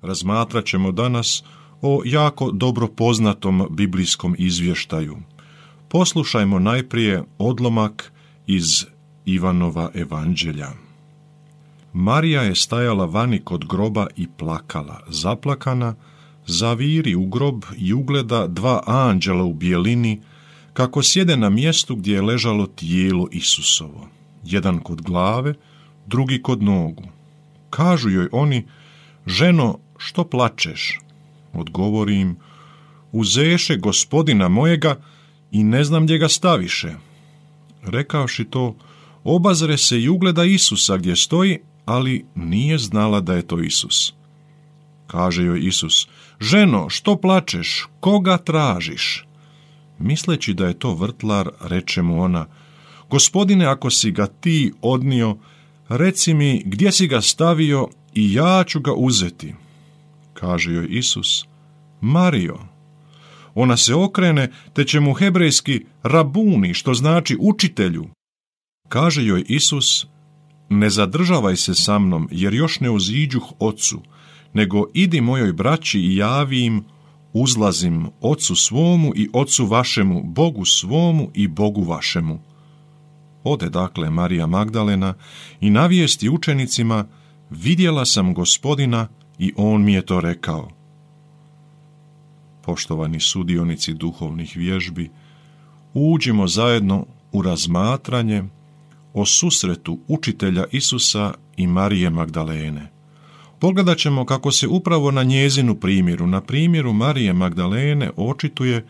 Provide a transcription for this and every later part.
Razmatrat ćemo danas o jako dobro poznatom biblijskom izvještaju. Poslušajmo najprije odlomak iz Ivanova evanđelja. Marija je stajala vani kod groba i plakala, zaplakana, zaviri u grob i ugleda dva anđela u bijelini, kako sjede na mjestu gdje je ležalo tijelo Isusovo, jedan kod glave, drugi kod nogu. Kažu joj oni: ženo, što plačeš? Odgovori im: uzeše Gospodina mojega i ne znam gdje ga staviše. Rekavši to, obazre se i ugleda Isusa gdje stoji, ali nije znala da je to Isus. Kaže joj Isus: ženo, što plačeš? Koga tražiš? Misleći da je to vrtlar, reče mu ona: Gospodine, ako si ga ti odnio, reci mi gdje si ga stavio i ja ću ga uzeti. Kaže joj Isus: Marijo. Ona se okrene, te će mu hebrejski rabuni, što znači učitelju. Kaže joj Isus: ne zadržavaj se sa mnom, jer još ne uziđuh Ocu, nego idi mojoj braći i javi im: uzlazim Ocu svomu i Ocu vašemu, Bogu svomu i Bogu vašemu. Ode dakle Marija Magdalena i navijesti učenicima: vidjela sam Gospodina i on mi je to rekao. Poštovani sudionici duhovnih vježbi, uđimo zajedno u razmatranje o susretu učitelja Isusa i Marije Magdalene. Pogledat ćemo kako se upravo na njezinu primjeru, na primjeru Marije Magdalene, očituje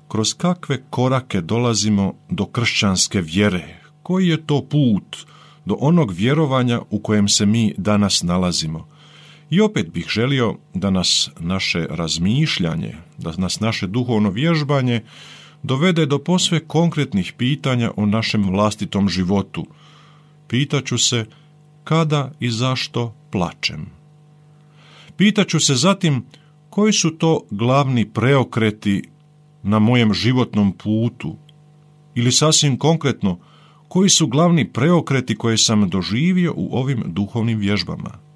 kroz kakve korake dolazimo do kršćanske vjere, koji je to put do onog vjerovanja u kojem se mi danas nalazimo. I opet bih želio da nas naše razmišljanje, da nas naše duhovno vježbanje dovede do posve konkretnih pitanja o našem vlastitom životu. Pitaću se: kada i zašto plačem? Pitaću se zatim: koji su to glavni preokreti na mojem životnom putu? Ili sasvim konkretno, koji su glavni preokreti koje sam doživio u ovim duhovnim vježbama?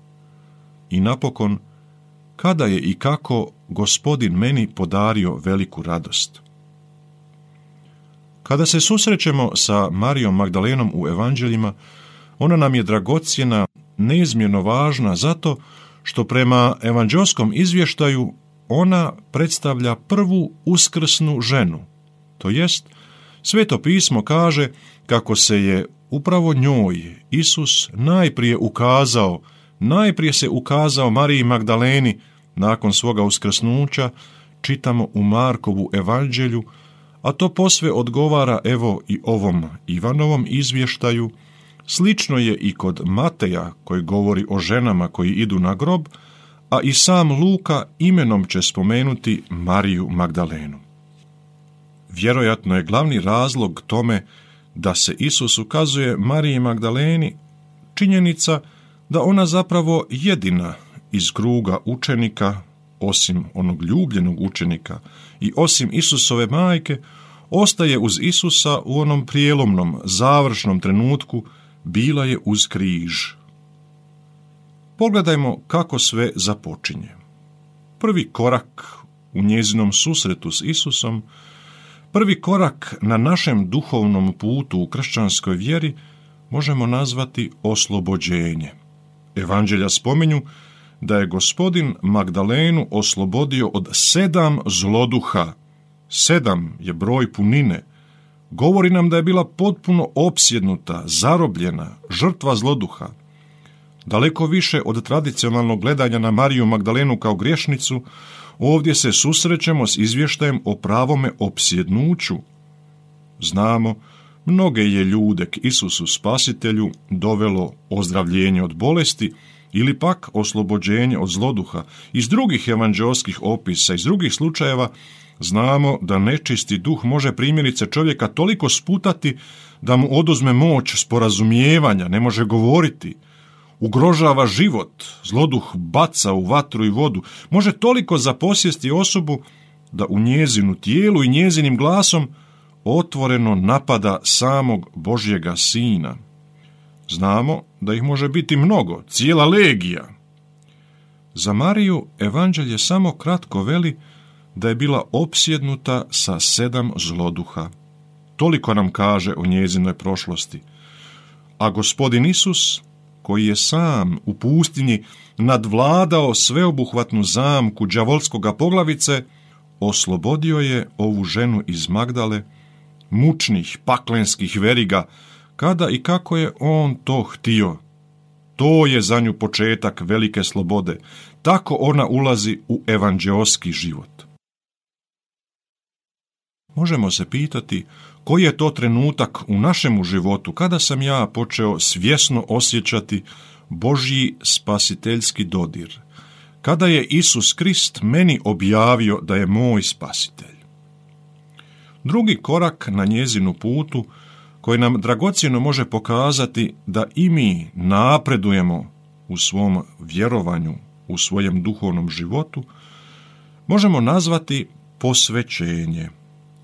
I napokon, kada je i kako Gospodin meni podario veliku radost? Kada se susrećemo sa Marijom Magdalenom u evanđeljima, ona nam je dragocjena, neizmjerno važna zato što prema evanđelskom izvještaju ona predstavlja prvu uskrsnu ženu. To jest, Sveto pismo kaže kako se je upravo njoj Isus najprije se ukazao Mariji Magdaleni nakon svoga uskrsnuća, čitamo u Markovu evanđelju, a to posve odgovara evo i ovom Ivanovom izvještaju. Slično je i kod Mateja koji govori o ženama koji idu na grob, a i sam Luka imenom će spomenuti Mariju Magdalenu. Vjerojatno je glavni razlog tome da se Isus ukazuje Mariji Magdaleni činjenica da ona zapravo jedina iz kruga učenika, osim onog ljubljenog učenika i osim Isusove majke, ostaje uz Isusa u onom prijelomnom, završnom trenutku, bila je uz križ. Pogledajmo kako sve započinje. Prvi korak u njezinom susretu s Isusom, prvi korak na našem duhovnom putu u kršćanskoj vjeri možemo nazvati oslobođenje. Evanđelja spominju da je Gospodin Magdalenu oslobodio od 7 zloduha. 7 je broj punine. Govori nam da je bila potpuno opsjednuta, zarobljena, žrtva zloduha. Daleko više od tradicionalnog gledanja na Mariju Magdalenu kao griješnicu, ovdje se susrećemo s izvještajem o pravome opsjednuću. Znamo, mnoge je ljude k Isusu Spasitelju dovelo ozdravljenje od bolesti ili pak oslobođenje od zloduha. Iz drugih evanđelskih opisa, iz drugih slučajeva znamo da nečisti duh može primjerice čovjeka toliko sputati da mu oduzme moć sporazumijevanja, ne može govoriti, ugrožava život, zloduh baca u vatru i vodu, može toliko zaposjesti osobu da u njezinu tijelu i njezinim glasom otvoreno napada samog Božjega Sina. Znamo da ih može biti mnogo, cijela legija. Za Mariju evanđelje samo kratko veli da je bila opsjednuta sa 7 zloduha. Toliko nam kaže o njezinoj prošlosti. A Gospodin Isus, koji je sam u pustinji nadvladao sveobuhvatnu zamku đavolskoga poglavice, oslobodio je ovu ženu iz Magdale, mučnih paklenskih veriga, kada i kako je on to htio. To je za nju početak velike slobode. Tako ona ulazi u evanđeoski život. Možemo se pitati koji je to trenutak u našemu životu kada sam ja počeo svjesno osjećati Božji spasiteljski dodir, kada je Isus Krist meni objavio da je moj spasitelj. Drugi korak na njezinu putu, koji nam dragocjeno može pokazati da i mi napredujemo u svom vjerovanju, u svojem duhovnom životu, možemo nazvati posvećenje.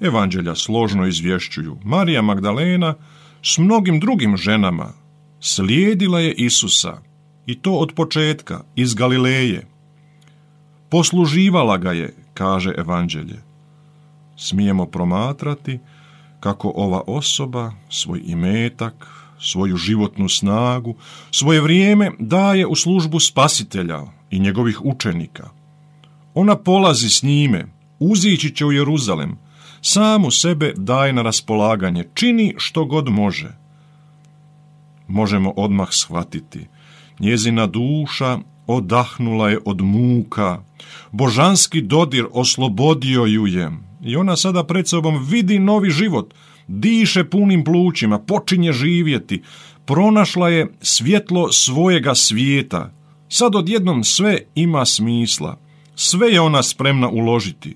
Evanđelja složno izvješćuju. Marija Magdalena s mnogim drugim ženama slijedila je Isusa, i to od početka, iz Galileje. Posluživala ga je, kaže Evanđelje. Smijemo promatrati kako ova osoba svoj imetak, svoju životnu snagu, svoje vrijeme daje u službu Spasitelja i njegovih učenika. Ona polazi s njime, uzići će u Jeruzalem, samu sebe daje na raspolaganje, čini što god može. Možemo odmah shvatiti, njezina duša odahnula je od muka, božanski dodir oslobodio ju je i ona sada pred sobom vidi novi život, diše punim plućima, počinje živjeti, pronašla je svjetlo svojega svijeta. Sad odjednom sve ima smisla, sve je ona spremna uložiti.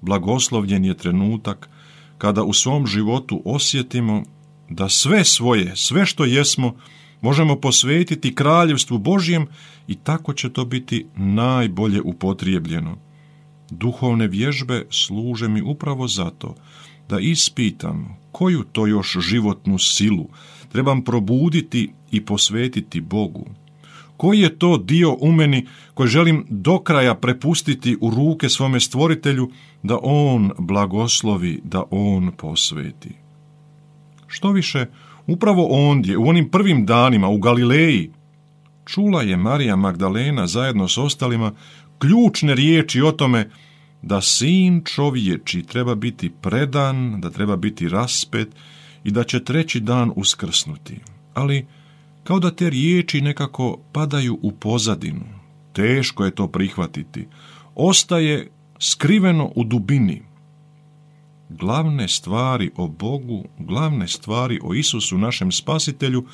Blagoslovljen je trenutak kada u svom životu osjetimo da sve svoje, sve što jesmo, možemo posvetiti kraljevstvu Božjem i tako će to biti najbolje upotrijebljeno. Duhovne vježbe služe mi upravo zato da ispitam koju to još životnu silu trebam probuditi i posvetiti Bogu. Koji je to dio u meni koji želim do kraja prepustiti u ruke svome stvoritelju da on blagoslovi, da on posveti. Što više, upravo ondje, u onim prvim danima u Galileji, čula je Marija Magdalena zajedno s ostalima ključne riječi o tome da sin čovječi treba biti predan, da treba biti raspet i da će 3. dan uskrsnuti. Ali kao da te riječi nekako padaju u pozadinu. Teško je to prihvatiti. Ostaje skriveno u dubini. Glavne stvari o Bogu, glavne stvari o Isusu, našem spasitelju,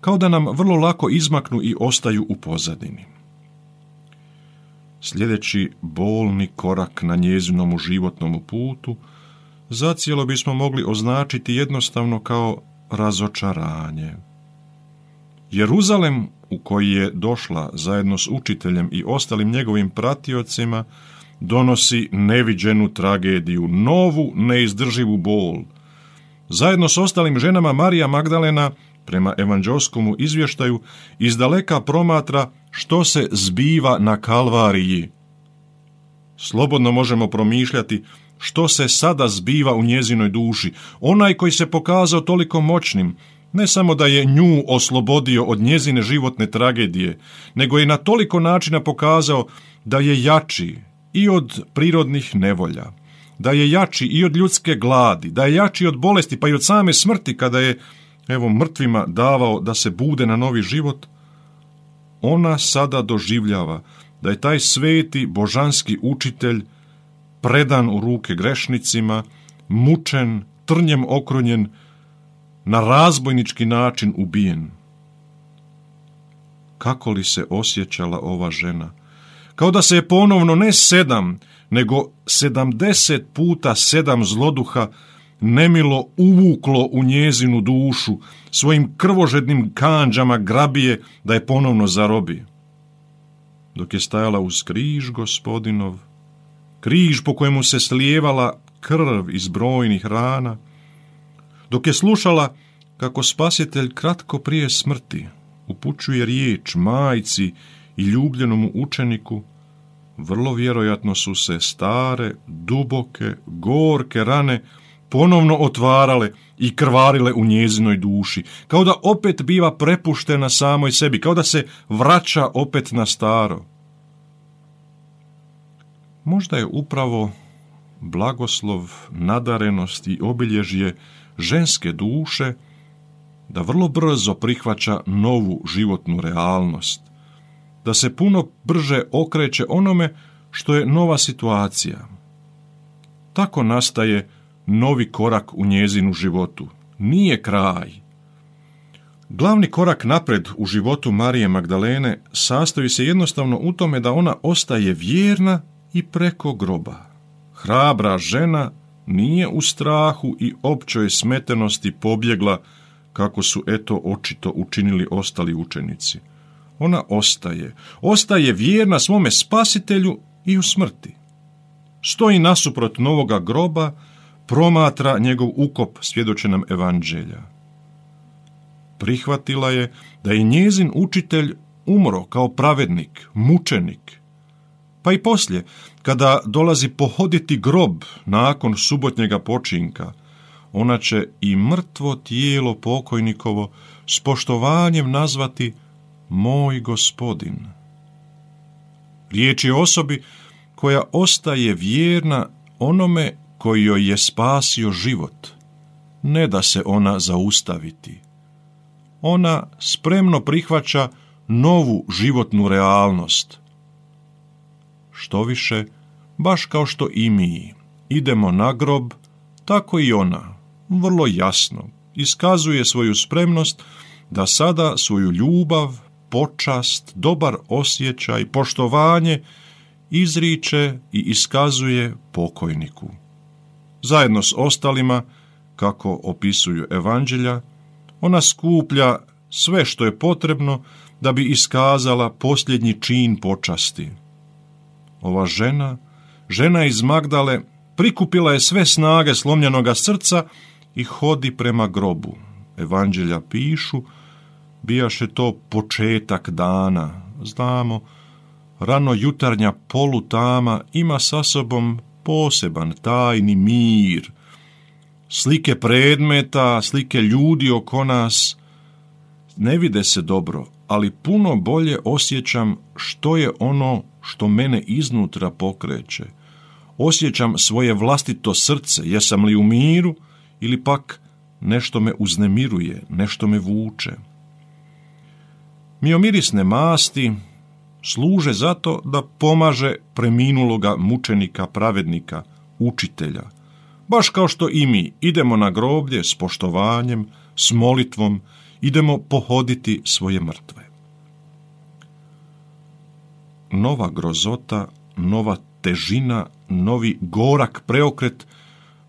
kao da nam vrlo lako izmaknu i ostaju u pozadini. Sljedeći bolni korak na njezinom životnom putu zacijelo bismo mogli označiti jednostavno kao razočaranje. Jeruzalem u koji je došla zajedno s učiteljem i ostalim njegovim pratiocima donosi neviđenu tragediju, novu neizdrživu bol. Zajedno s ostalim ženama Marija Magdalena, prema evanđelskomu izvještaju, izdaleka promatra što se zbiva na Kalvariji. Slobodno možemo promišljati što se sada zbiva u njezinoj duši. Onaj koji se pokazao toliko moćnim, ne samo da je nju oslobodio od njezine životne tragedije, nego je na toliko načina pokazao da je jači i od prirodnih nevolja, da je jači i od ljudske gladi, da je jači od bolesti, pa i od same smrti kada je, mrtvima davao da se bude na novi život. Ona sada doživljava da je taj sveti božanski učitelj predan u ruke grešnicima, mučen, trnjem okrunjen, na razbojnički način ubijen. Kako li se osjećala ova žena? Kao da se je ponovno ne 7, nego 70 puta 7 zloduha nemilo uvuklo u njezinu dušu, svojim krvožednim kandžama grabije da je ponovno zarobi. Dok je stajala uz križ Gospodinov, križ po kojemu se slijevala krv iz brojnih rana, dok je slušala kako Spasitelj kratko prije smrti upućuje riječ majci i ljubljenom učeniku, vrlo vjerojatno su se stare, duboke, gorke rane ponovno otvarale i krvarile u njezinoj duši, kao da opet biva prepuštena samoj sebi, kao da se vraća opet na staro. Možda je upravo blagoslov, nadarenost i obilježje ženske duše da vrlo brzo prihvaća novu životnu realnost, da se puno brže okreće onome što je nova situacija. Tako nastaje novi korak u njezinu životu. Nije kraj. Glavni korak napred u životu Marije Magdalene sastoji se jednostavno u tome da ona ostaje vjerna i preko groba. Hrabra žena nije u strahu i općoj smetenosti pobjegla, kako su očito učinili ostali učenici. Ona ostaje vjerna svome spasitelju i u smrti. Stoji nasuprot novoga groba, promatra njegov ukop, svjedoče nam evanđelja. Prihvatila je da je njezin učitelj umro kao pravednik, mučenik. Pa i poslije, kada dolazi pohoditi grob nakon subotnjega počinka, ona će i mrtvo tijelo pokojnikovo s poštovanjem nazvati moj gospodin. Riječ je o osobi koja ostaje vjerna onome koji joj je spasio život. Ne da se ona zaustaviti. Ona spremno prihvaća novu životnu realnost. Štoviše, baš kao što i mi idemo na grob, tako i ona, vrlo jasno, iskazuje svoju spremnost da sada svoju ljubav, počast, dobar osjećaj, poštovanje izriče i iskazuje pokojniku. Zajedno s ostalima, kako opisuju evanđelja, ona skuplja sve što je potrebno da bi iskazala posljednji čin počasti. Ova žena iz Magdale, prikupila je sve snage slomljenoga srca i hodi prema grobu. Evanđelja pišu, bijaše to početak dana. Znamo, rano jutarnja polutama ima sa sobom poseban tajni mir. Slike predmeta, slike ljudi oko nas ne vide se dobro, ali puno bolje osjećam što je ono što mene iznutra pokreće. Osjećam svoje vlastito srce, jesam li u miru ili pak nešto me uznemiruje, nešto me vuče. Miomirisne masti služe zato da pomaže preminuloga mučenika, pravednika, učitelja. Baš kao što i mi idemo na groblje s poštovanjem, s molitvom, idemo pohoditi svoje mrtve. Nova grozota, nova težina, novi gorak preokret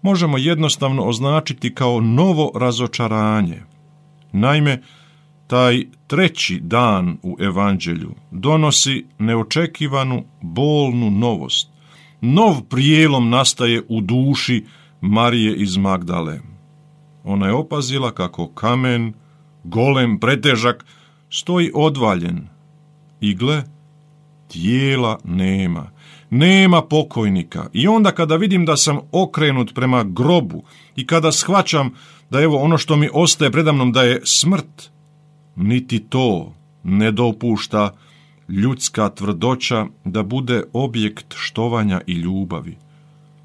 možemo jednostavno označiti kao novo razočaranje. Naime, taj treći dan u evanđelju donosi neočekivanu, bolnu novost. Nov prijelom nastaje u duši Marije iz Magdale. Ona je opazila kako kamen, golem, pretežak, stoji odvaljen. I gle, tijela nema. Nema pokojnika. I onda kada vidim da sam okrenut prema grobu i kada shvaćam da evo ono što mi ostaje predamnom da je smrt, niti to ne dopušta ljudska tvrdoća da bude objekt štovanja i ljubavi.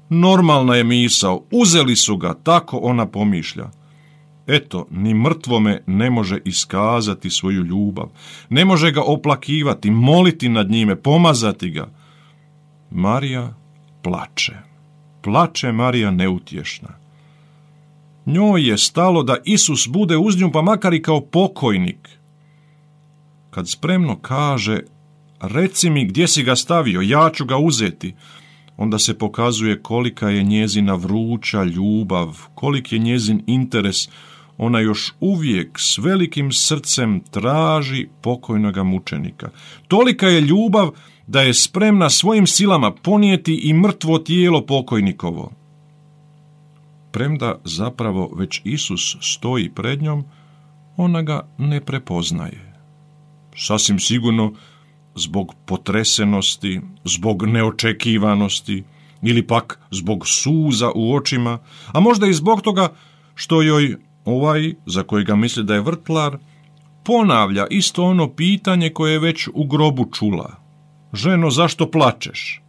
Normalna je misao, uzeli su ga, tako ona pomišlja. Eto, ni mrtvome ne može iskazati svoju ljubav, ne može ga oplakivati, moliti nad njime, pomazati ga. Marija plače. Plače Marija neutješna. Njoj je stalo da Isus bude uz nju, pa makar i kao pokojnik. Kad spremno kaže, reci mi gdje si ga stavio, ja ću ga uzeti, onda se pokazuje kolika je njezina vruća ljubav, kolik je njezin interes. Ona još uvijek s velikim srcem traži pokojnoga mučenika. Tolika je ljubav da je spremna svojim silama ponijeti i mrtvo tijelo pokojnikovo. Premda zapravo već Isus stoji pred njom, ona ga ne prepoznaje. Sasvim sigurno zbog potresenosti, zbog neočekivanosti ili pak zbog suza u očima, a možda i zbog toga što joj ovaj, za kojega misli da je vrtlar, ponavlja isto ono pitanje koje je već u grobu čula. Ženo, zašto plačeš?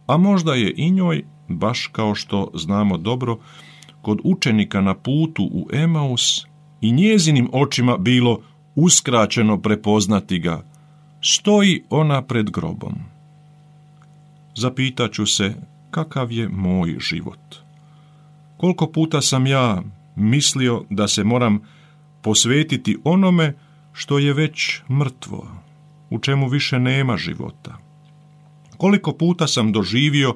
A možda je i njoj, baš kao što znamo dobro, kod učenika na putu u Emaus i njezinim očima bilo uskraćeno prepoznati ga. Stoji ona pred grobom. Zapitaću se kakav je moj život. Koliko puta sam ja mislio da se moram posvetiti onome što je već mrtvo, u čemu više nema života. Koliko puta sam doživio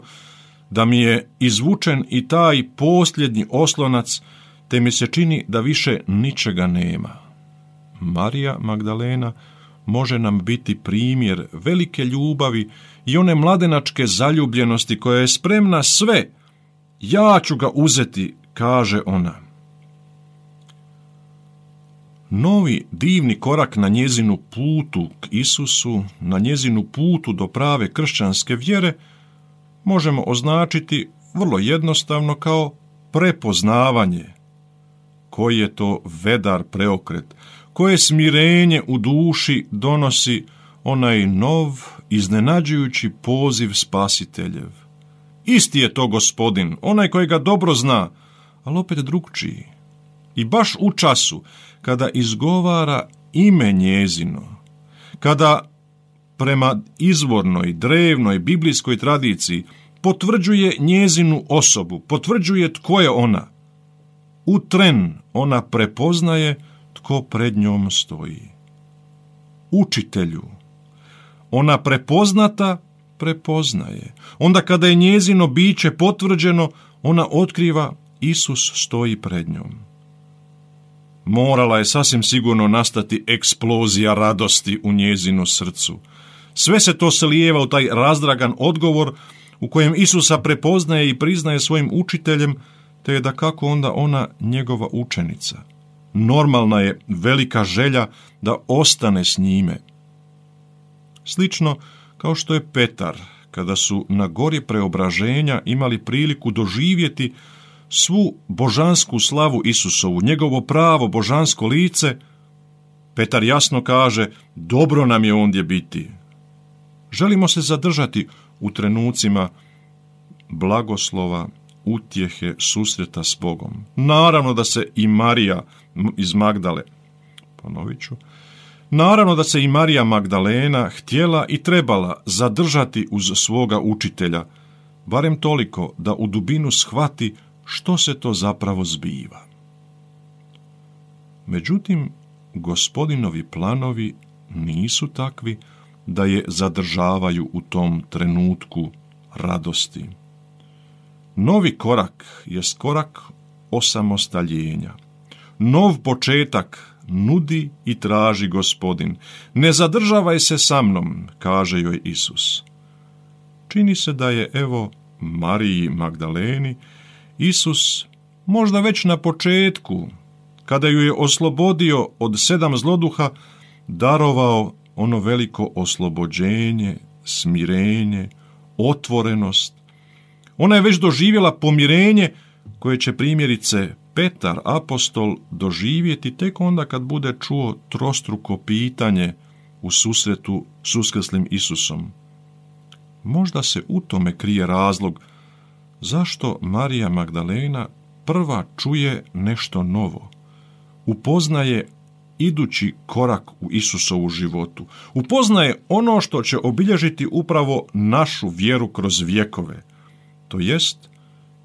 da mi je izvučen i taj posljednji oslonac, te mi se čini da više ničega nema. Marija Magdalena može nam biti primjer velike ljubavi i one mladenačke zaljubljenosti koja je spremna sve. Ja ću ga uzeti, kaže ona. Novi divni korak na njezinu putu k Isusu, na njezinu putu do prave kršćanske vjere, možemo označiti vrlo jednostavno kao prepoznavanje. Koji je to vedar preokret, koje smirenje u duši donosi onaj nov, iznenađujući poziv Spasiteljev. Isti je to Gospodin, onaj kojega dobro zna, ali opet drugčiji. I baš u času kada izgovara ime njezino, kada prema izvornoj, drevnoj, biblijskoj tradiciji potvrđuje njezinu osobu, potvrđuje tko je ona. U tren ona prepoznaje tko pred njom stoji. Učitelju. Ona prepoznata prepoznaje. Onda kada je njezino biće potvrđeno, ona otkriva Isus stoji pred njom. Morala je sasvim sigurno nastati eksplozija radosti u njezinu srcu. Sve se to slijeva u taj razdragan odgovor u kojem Isusa prepoznaje i priznaje svojim učiteljem, te je dakako onda ona njegova učenica. Normalna je velika želja da ostane s njime. Slično kao što je Petar, kada su na gori preobraženja imali priliku doživjeti svu božansku slavu Isusovu, njegovo pravo božansko lice, Petar jasno kaže, dobro nam je ondje biti. Želimo se zadržati u trenucima blagoslova, utjehe, susreta s Bogom. Naravno da se i Marija iz Magdale, naravno da se i Marija Magdalena htjela i trebala zadržati uz svoga učitelja, barem toliko da u dubinu shvati što se to zapravo zbiva. Međutim, Gospodinovi planovi nisu takvi da je zadržavaju u tom trenutku radosti. Novi korak jest korak osamostaljenja. Nov početak nudi i traži Gospodin. Ne zadržavaj se sa mnom, kaže joj Isus. Čini se da je, evo, Mariji Magdaleni Isus možda već na početku, kada ju je oslobodio od 7 zloduha, darovao ono veliko oslobođenje, smirenje, otvorenost. Ona je već doživjela pomirenje koje će primjerice Petar, apostol, doživjeti tek onda kad bude čuo trostruko pitanje u susretu s uskrslim Isusom. Možda se u tome krije razlog zašto Marija Magdalena prva čuje nešto novo, upoznaje idući korak u Isusovu životu, upoznaje ono što će obilježiti upravo našu vjeru kroz vjekove. To jest,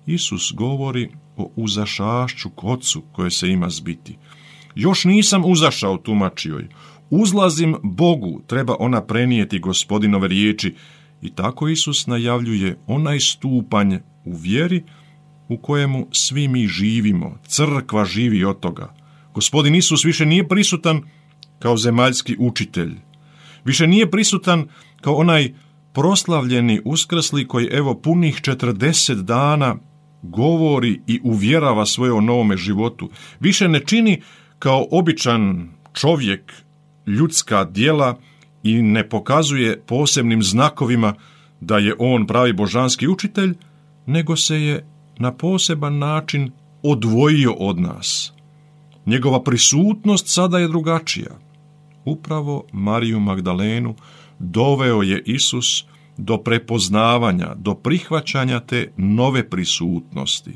Isus govori o uzašašću k Otcu koje se ima zbiti. Još nisam uzašao, tumači joj. Uzlazim Bogu, treba ona prenijeti Gospodinove riječi. I tako Isus najavljuje onaj stupanj u vjeri u kojemu svi mi živimo. Crkva živi od toga. Gospodin Isus više nije prisutan kao zemaljski učitelj. Više nije prisutan kao onaj proslavljeni uskrsli koji evo punih 40 dana govori i uvjerava svoje o novome životu. Više ne čini kao običan čovjek ljudska djela i ne pokazuje posebnim znakovima da je on pravi božanski učitelj, nego se je na poseban način odvojio od nas. Njegova prisutnost sada je drugačija. Upravo Mariju Magdalenu doveo je Isus do prepoznavanja, do prihvaćanja te nove prisutnosti.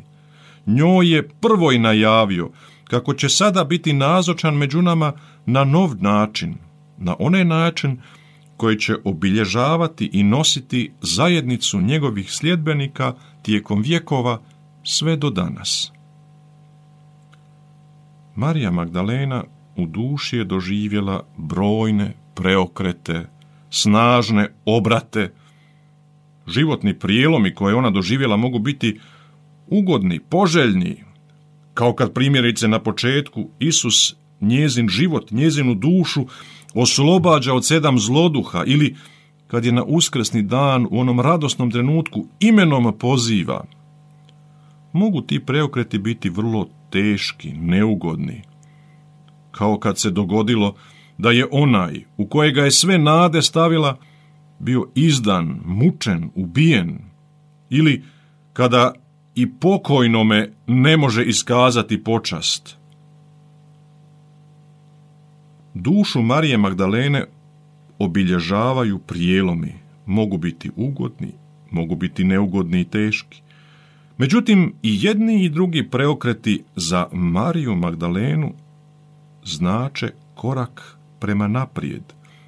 Njoj je prvo i najavio kako će sada biti nazočan među nama na nov način, na onaj način koji će obilježavati i nositi zajednicu njegovih sljedbenika tijekom vjekova sve do danas. Marija Magdalena u duši je doživjela brojne preokrete, snažne obrate. Životni prijelomi koje ona doživjela mogu biti ugodni, poželjni, kao kad primjerice na početku Isus njezin život, njezinu dušu oslobađa od 7 zloduha, ili kad je na uskrsni dan u onom radosnom trenutku imenom poziva. Mogu ti preokreti biti vrlo teški, neugodni, kao kad se dogodilo da je onaj u kojega je sve nade stavila bio izdan, mučen, ubijen, ili kada i pokojnome ne može iskazati počast. Dušu Marije Magdalene obilježavaju prijelomi, mogu biti ugodni, mogu biti neugodni i teški. Međutim, i jedni i drugi preokreti za Mariju Magdalenu znače korak prema naprijed.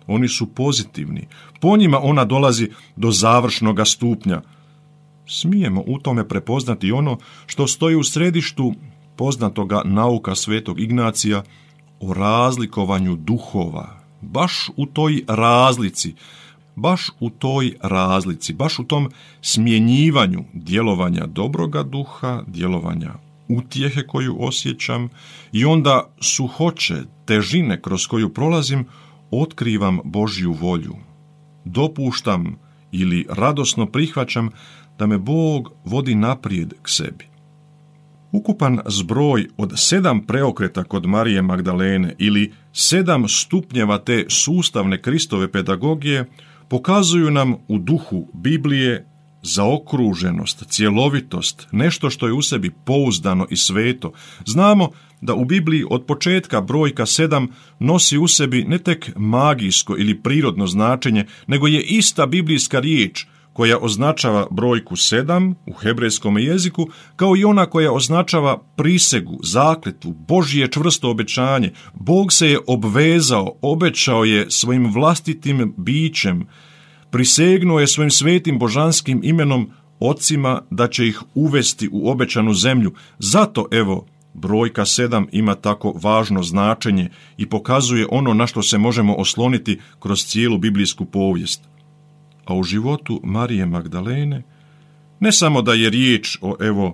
Oni su pozitivni. Po njima ona dolazi do završnoga stupnja. Smijemo u tome prepoznati ono što stoji u središtu poznatoga nauka svetog Ignacija o razlikovanju duhova. Baš u toj razlici, baš u tom smjenjivanju djelovanja dobroga duha, djelovanja utjehe koju osjećam i onda suhoće, težine kroz koju prolazim, otkrivam Božju volju. Dopuštam ili radosno prihvaćam da me Bog vodi naprijed k sebi. Ukupan zbroj od 7 preokreta kod Marije Magdalene ili 7 stupnjeva te sustavne Kristove pedagogije pokazuju nam u duhu Biblije zaokruženost, cjelovitost, nešto što je u sebi pouzdano i sveto. Znamo da u Bibliji od početka brojka 7 nosi u sebi ne tek magijsko ili prirodno značenje, nego je ista biblijska riječ koja označava brojku 7 u hebrejskom jeziku, kao i ona koja označava prisegu, zakletvu, Božje čvrsto obećanje. Bog se je obvezao, obećao je svojim vlastitim bićem, prisegnuo je svojim svetim božanskim imenom ocima da će ih uvesti u obećanu zemlju. Zato, evo, brojka 7 ima tako važno značenje i pokazuje ono na što se možemo osloniti kroz cijelu biblijsku povijest. A u životu Marije Magdalene ne samo da je riječ o,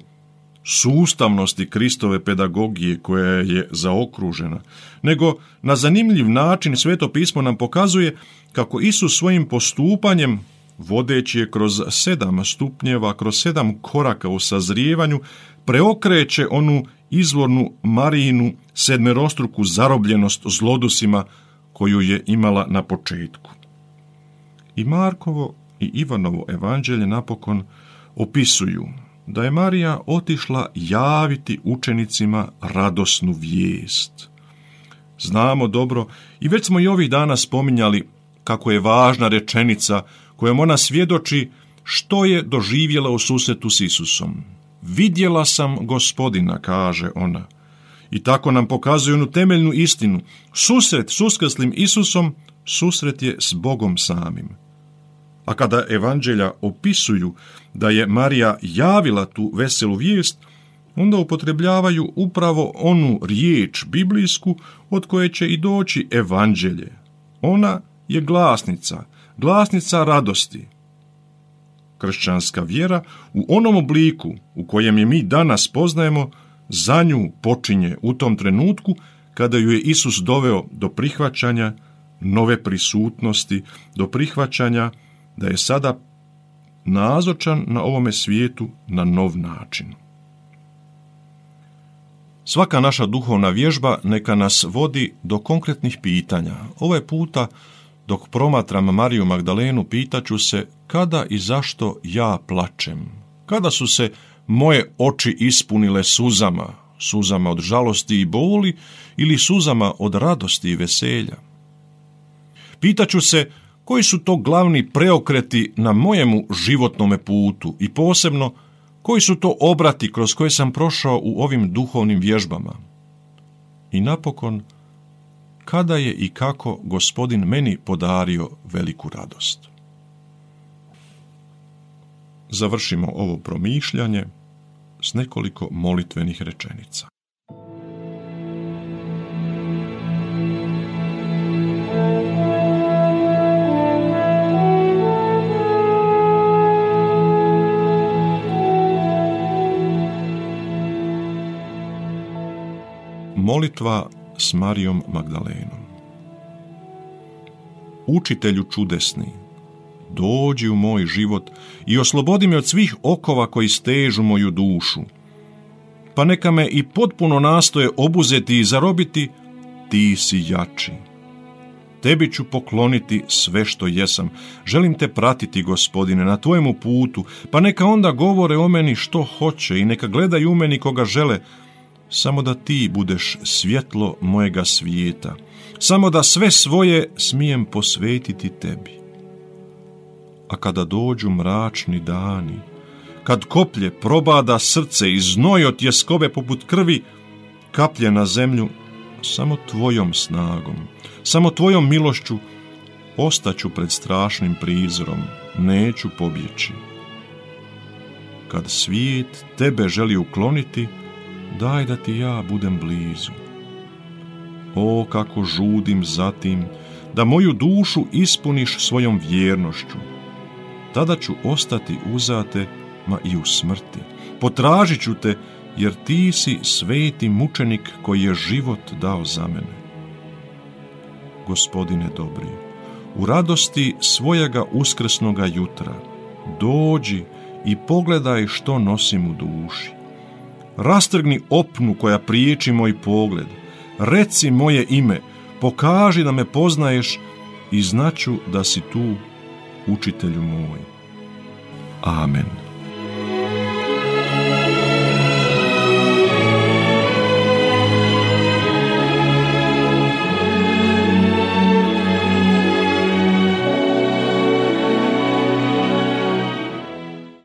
sustavnosti Kristove pedagogije koja je zaokružena, nego na zanimljiv način Sveto pismo nam pokazuje kako Isus svojim postupanjem, vodeći je kroz 7 stupnjeva, kroz 7 koraka u sazrijevanju, preokreće onu izvornu Marijinu sedmerostruku zarobljenost zlodusima koju je imala na početku. I Markovo i Ivanovo evanđelje napokon opisuju da je Marija otišla javiti učenicima radosnu vijest. Znamo dobro i već smo i ovih dana spominjali kako je važna rečenica kojom ona svjedoči što je doživjela u susretu s Isusom. Vidjela sam Gospodina, kaže ona. I tako nam pokazuje onu temeljnu istinu. Susret s uskrslim Isusom, susret je s Bogom samim. A kada evanđelja opisuju da je Marija javila tu veselu vijest, onda upotrebljavaju upravo onu riječ biblijsku od koje će i doći evanđelje. Ona je glasnica radosti. Kršćanska vjera u onom obliku u kojem je mi danas poznajemo, za nju počinje u tom trenutku kada ju je Isus doveo do prihvaćanja nove prisutnosti, do prihvaćanja da je sada nazočan na ovome svijetu na nov način. Svaka naša duhovna vježba neka nas vodi do konkretnih pitanja. Ovaj puta Dok promatram Mariju Magdalenu, pitaću se kada i zašto ja plačem. Kada su se moje oči ispunile suzama, suzama od žalosti i boli ili suzama od radosti i veselja. Pitaću se koji su to glavni preokreti na mojemu životnome putu i posebno koji su to obrati kroz koje sam prošao u ovim duhovnim vježbama. I napokon, kada je i kako Gospodin meni podario veliku radost. Završimo ovo promišljanje s nekoliko molitvenih rečenica. Molitva s Marijom Magdalenom. Učitelju čudesni, dođi u moj život i oslobodi me od svih okova koji stežu moju dušu. Pa neka me i potpuno nastoje obuzeti i zarobiti, ti si jači. Tebi ću pokloniti sve što jesam. Želim te pratiti, Gospodine, na tvojemu putu, pa neka onda govore o meni što hoće i neka gledaju u meni koga žele, samo da ti budeš svjetlo mojega svijeta, samo da sve svoje smijem posvetiti tebi. A kada dođu mračni dani, kad koplje probada srce i znoj od tjeskobe poput krvi kaplje na zemlju, samo tvojom snagom, samo tvojom milošću ostaću pred strašnim prizorom, neću pobjeći. Kad svijet tebe želi ukloniti, daj da ti ja budem blizu. O, kako žudim za tim da moju dušu ispuniš svojom vjernošću. Tada ću ostati uzate, ma i u smrti. Potražit ću te, jer ti si sveti mučenik koji je život dao za mene. Gospodine dobri, u radosti svojega uskrsnoga jutra, dođi i pogledaj što nosim u duši. Rastrgni opnu koja priječi moj pogled, reci moje ime, pokaži da me poznaješ i znaću da si tu, učitelju moj. Amen.